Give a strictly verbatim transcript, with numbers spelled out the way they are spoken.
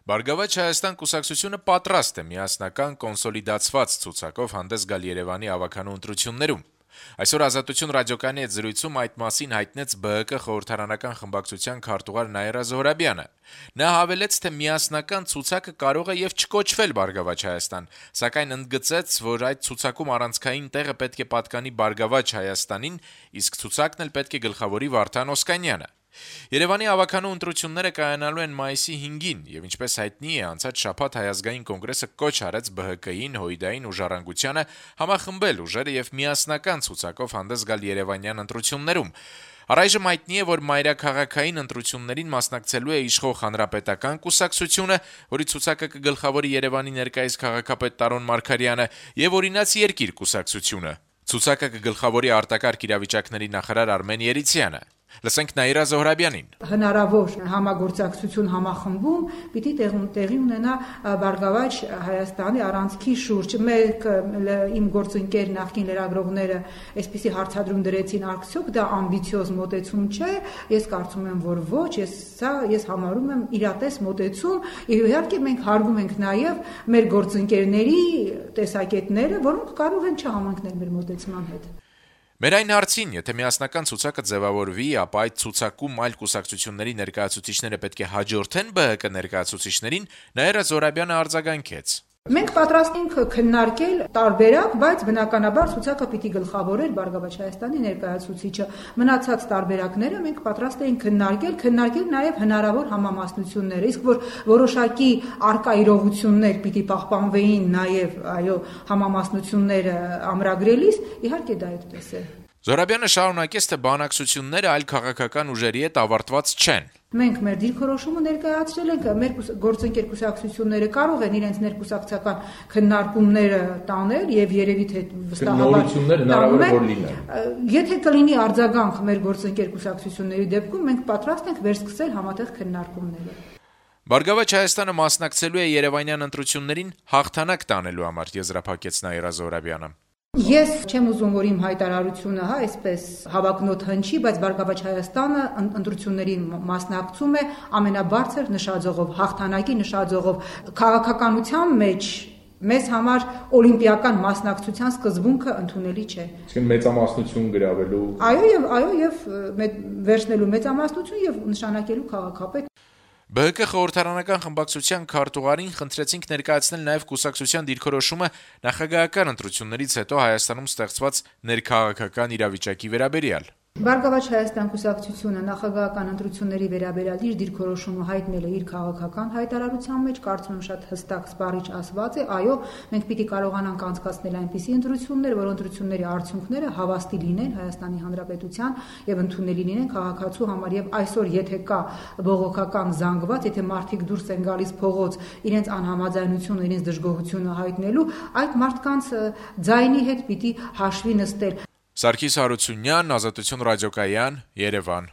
Բարգավաճ Հայաստան կուսակցությունը պատրաստ է միասնական կոնսոլիդացված ցուցակով հանդես գալ Երևանի ավականու ընտրություններում։ Այսօր «Ազատություն» ռադիոկայանի հետ զրույցում այդ մասին հայտնեց Բ Հ Կ խորհրդարանական խմբակցության քարտուղար Նաիրա Զոհրաբյանը։ Նա հավելեց, թե միասնական ցուցակը կարող է եւ չկոչվել Բարգավաճ Հայաստան, սակայն ընդգծեց, որ այդ ցուցակում առանցքային տեղը պետք է պատկանի Բարգավաճ Հայաստանին, իսկ ցուցակն էլ պետք է գլխավորի Վարդան Օսկանյանը։ Երևանի ավականու ընտրությունները կայանալու են մայիսի հինգին, եւ ինչպես հայտնի է, անցած շաբաթ Հայ ազգային կոնգրեսը կոչ արեց Բ Հ Կ-ին, Հույդային ու Ժառանգությանը համախմբել ուժերը եւ միասնական ցուցակով հանդես գալ երևանյան ընտրություններում։ Առայժմ հայտնի է, որ մայրաքաղաքային ընտրություններին մասնակցելու է իշխող Հանրապետական կուսակցությունը, որի ցուցակը կգլխավորի Երևանի ներկայիս քաղաքապետ Տարոն Մարգարյանը, եւ Օրինաց երկիր կուսակցությունը։ Ցուցակը կգլխավորի արտակարգ իրավիճակների նախարար Արմեն Երիցյանը։ Լսենք Նաիրա Զոհրաբյանին։ Հնարավոր համագործակցություն համախմբում պիտի տեղի ունենա Բարգավաճ Հայաստանի առանցքի շուրջ։ Մեկ իմ գործընկեր նախկին լրագրողները այսպիսի հարցադրում դրեցին արդյոք դա ամբիցիոզ մոտեցում չէ։ Ես կարծում եմ, որ ոչ, ես սա ես համարում եմ իրատես մոտեցում։ Իհարկե մենք հարգում ենք նաև մեր գործընկերների տեսակետները, որոնք կարող են չհամընկնել մեր մոտեցման հետ։ Մեր այն հարցին, եթե միասնական ցուցակը ձևավորվի, ապա այդ ցուցակում այլ կուսակցությունների ներկայացուցիչները պետք է հաջորդեն Բ Հ Կ ներկայացուցիչներին, Նաիրա Զոհրաբյանը արձագանքեց։ Մենք պատրաստ ենք քննարկել տարբերակ, բայց բնականաբար ցուցակը պիտի գլխավորել Բարգավաճ Հայաստանի ներկայացուցիչը։ Մնացած տարբերակները մենք պատրաստ ենք քննարկել, քննարկել նաև հնարավոր համամասնությունները, իսկ որ որոշակի արկա իրողություններ պիտի պահպանվեին նաև, այո, համամասնությունները ամրագրելիս, իհարկե դա այդպես է։ Զոհրաբյանը շարունակեց, թե բանակցությունները այլ քաղաքական ուժերի հետ ավարտված չեն։ Մենք մեր դիրքորոշումը ներկայացրել ենք, մեր գործընկեր կուսակցությունները կարող են իրենց ներկուսակցական քննարկումները տանել եւ երևի թե վստահաբար տանել։ Եթե կլինի արձագանք մեր գործընկեր կուսակցությունների դեպքում, մենք պատրաստ ենք վերսկսել համատեղ քննարկումները։ Բարգավաճ Հայաստանը մասնակցելու է երևանյան ընտրություններին հաղթանակ տանելու համար, եզրափակեց Նաիրա Զոհրաբյանը։ Ես չեմ ուզում, որ իմ հայտարարությունը, հա, այսպես հավակնոտ հնչի, բայց Բարգավաճ Հայաստանը ընտրություններին մասնակցում է ամենաբարձր նշաձողով, հաղթանակի նշաձողով։ Քաղաքականության մեջ մեզ համար օլիմպիական մասնակցության սկզբունքը ընդունելի չէ։ Իսկ մեծամասնություն գրավելու։ Այո, եւ այո, եւ վերցնելու մեծամասնություն եւ նշանակելու քաղաքապետ։ Բ Հ Կ խորհրդարանական խմբակցության քարտուղարին խնդրեցինք ներկայացնել նաև կուսակցության դիրքորոշումը նախագահական ընտրություններից հետո Հայաստանում ստեղծված ներքաղաքական իրավիճակի վերաբերյալ։ Բարգավաճ Հայաստան կուսակցությունը նախագահական ընտրությունների վերաբերյալ իր դիրքորոշումը հայտնել է իր քաղաքական հայտարարության մեջ, կարծում եմ շատ հստակ սպառիչ ասված է, այո, մենք պիտի կարողանանք անցկացնել այնպիսի ընտրություններ, որ ընտրությունների արդյունքները հավաստի լինեն Հայաստանի Հանրապետության եւ ընդունելի լինեն քաղաքացու համար եւ այսօր եթե կա բողոքական զանգված, եթե մարդիկ դուրս են գալիս փողոց իրենց անհամաձայնությունը, իրենց դժգոհությունը հայտնելու, այդ մարդկանց ձայնի հետ պիտի հաշվի նստել։ Սարգիս Հարությունյան, Ազատություն ռադիոկայան, Երևան։